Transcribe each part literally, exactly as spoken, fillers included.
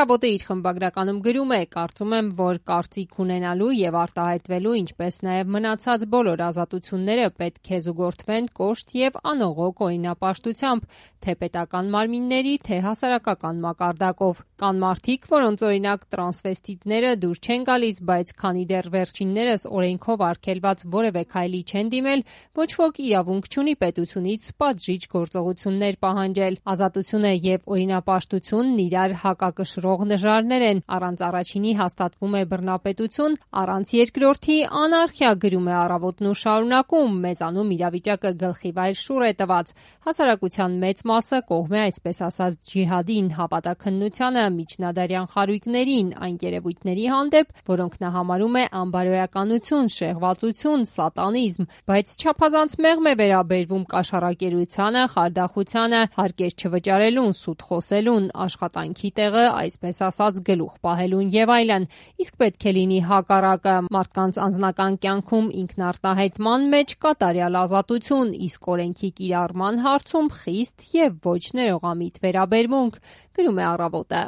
Առավոտը իր խմբագրականում գրում է. «Կարծում եմ, որ կարծիք ունենալու եւ արտահայտվելու, ինչպես նաեւ մնացած բոլոր ազատությունները պետք է զուգորդվեն կոշտ եւ անողոք օրինապաշտությամբ, թե պետական մարմինների, թե հասարակական մակարդակով։ Կան մարդիկ, որոնց օրինակ տրանսվեստիտները դուր չեն գալիս, բայց քանի դեռ վերջիններս օրենքով արգելված որևէ քայլի չեն դիմել, ոչ ոք իրավունք չունի պետությունից պատժիչ գործողություններ պահանջել։ Ազատությունը եւ օրինապաշտությունն իրար հակակշռող նժարներ են, առանց առաջինի հաստատվում է բռնապետություն, առանց երկրորդի անարխիա», գրում է Առավոտն ու շարունակում. «Մեզանում իրավիճակը գլխիվայր շուռ է տված։ Հասարակության մեծ մասը կողմ է այսպես ասած ջիհադին, հավատաքննությանը, միջնադարյան խարույկներին, այն երևույթների հանդեպ, որոնք նա համարում է անբարոյականություն, շեղվածություն, սատանիզմ, բայց չափազանց մեղմ է վերաբերվում կաշառակերությանը, խարդախությանը, հարկեր չվճարելուն, սուտ խոսելուն, աշխատանքի տեղը, այսպես ասած, գլուխ պահելուն եւ այլն։ Իսկ պետք է լինի հակառակը՝ մարդկանց անձնական կյանքում ինքնարտահայտման մեջ կատարյալ ազատություն, իսկ օրենքի կիրառման հարցում խիստ եւ ոչ ներողամիտ վերաբերմունք», գրում է Առավոտը։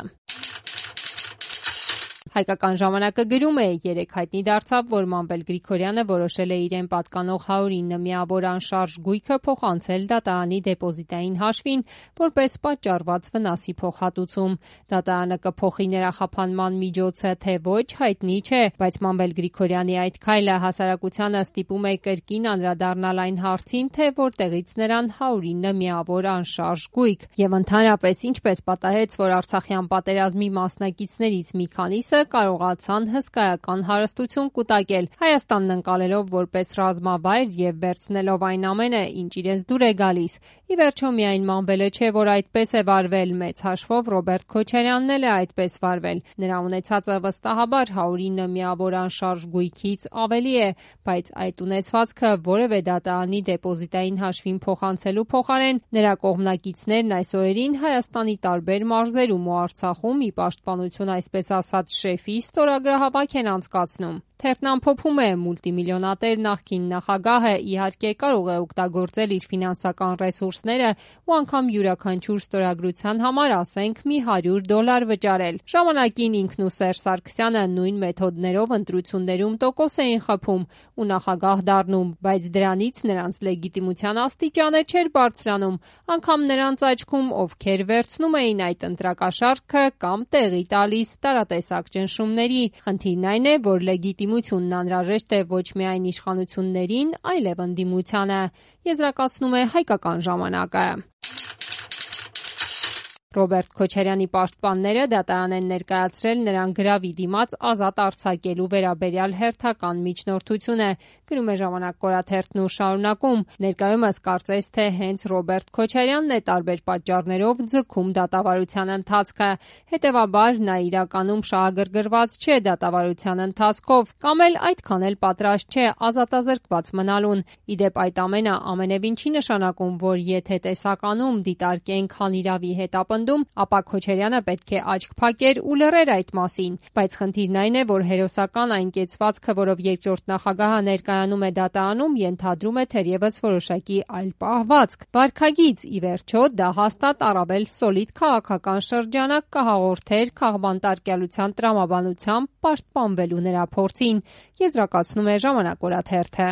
Հայկական ժամանակը գրում է. «Երեկ հայտնի դարձավ, որ Մանվել Գրիգորյանը որոշել է իրեն պատկանող հարյուր ինը միավոր անշարժ գույքը փոխանցել դատարանի դեպոզիտային հաշվին որպես պատճառված վնասի փոխհատուցում։ Դատարանը կփոխի նրա խափանման միջոցը, թե ոչ, հայտնի չէ, բայց Մանվել Գրիգորյանի այդ քայլը հասարակությանը ստիպում է կրկին անդրադառնալ այն հարցին, թե որտեղից նրան հարյուր ինը միավոր անշարժ գույք, եւ ընդհանրապես ինչպես պատահեց, որ Արցախյան պատերազմի մասնակիցներից մի քանիսը կարողացան հսկայական հարստություն կուտակել, Հայաստանն ընկալելով որպես ռազմավայր եւ վերցնելով այն ամենը, ինչ իրենց դուր է գալիս։ Ի վերջո միայն Մանվելը չէ, որ այդպես է վարվել, մեծ հաշվով Ռոբերտ Քոչարյանն էլ է այդպես վարվել։ Նրա ունեցածը վստահաբար հարյուր ինը միավոր անշարժ գույքից ավելի է, բայց այդ ունեցվածքը որևէ դատարանի դեպոզիտային հաշվին փոխանցելու փոխարեն նրա կողմնակիցներն այս օրերին Հայաստանի տարբեր մարզերում ու Արցախում ի պաշտպանություն այսպես ասած շեֆի ստորագրահավաք են անցկացնում։ Թերթն ամփոփում է. «Մուլտիմիլիոնատեր նախկին նախագահը իհարկե կարող է օգտագործել իր ֆինանսական ռեսուրսները ու անգամ յուրաքանչյուր ստորագրության համար, ասենք, մի հարյուր դոլար վճարել։ Ժամանակին ինքն ու Սերժ Սարգսյանը նույն մեթոդներով ընտրություններում տոկոս էին խփում ու նախագահ դառնում, բայց դրանից նրանց լեգիտիմության աստիճանը չէր բարձրանում, անգամ նրանց աչքում, ովքեր վերցնում էին այդ ընտրակաշառքը կամ տեղի տալիս տարատեսակ ճնշումների։ Խնդիրն այն է, որ լեգիտիմությունն անհրաժեշտ է ոչ միայն իշխանություններին, այլև ընդդիմությանը», եզրակացնում է Հայկական ժամանակը։ Ռոբերտ Քոչարյանի պաշտպանները դատարան են ներկայացրել նրան գրավի դիմաց ազատ արձակելու վերաբերյալ հերթական միջնորդությունը, գրում է Ժամանակ օրաթերթն ու շարունակում. «Ներկայումս կարծես թե հենց Ռոբերտ Քոչարյանն է տարբեր պատճառներով ձգում դատավարության ընթացքը, հետևաբար նա իրականում շահագրգռված չէ դատավարության ընթացքով, կամ էլ այդքան էլ պատրաստ չէ ազատազրկված մնալուն։ Ի դեպ այդ ամենը ամենևին չի նշանակում, որ եթե տեսականում դիտարկենք հանիրավի հետապնդում, ապա Քոչարյանը պետք է աչք փակեր ու լռեր այդ մասին, բայց խնդիրն այն է, որ հերոսական այն կեցվածքը, որով երկրորդ նախագահը ներկայանում է դատարանում, ենթադրում է թերևս որոշակի այլ պահվածք։ Վարքագիծ, ի վերջո, դա հաստատ առավել սոլիդ քաղաքական շրջանակ կհաղորդեր քաղբանտարկյալության տրամաբանությամբ պաշտպանվելու նրա փորձին», եզրակացնում է Ժամանակ օրաթերթը։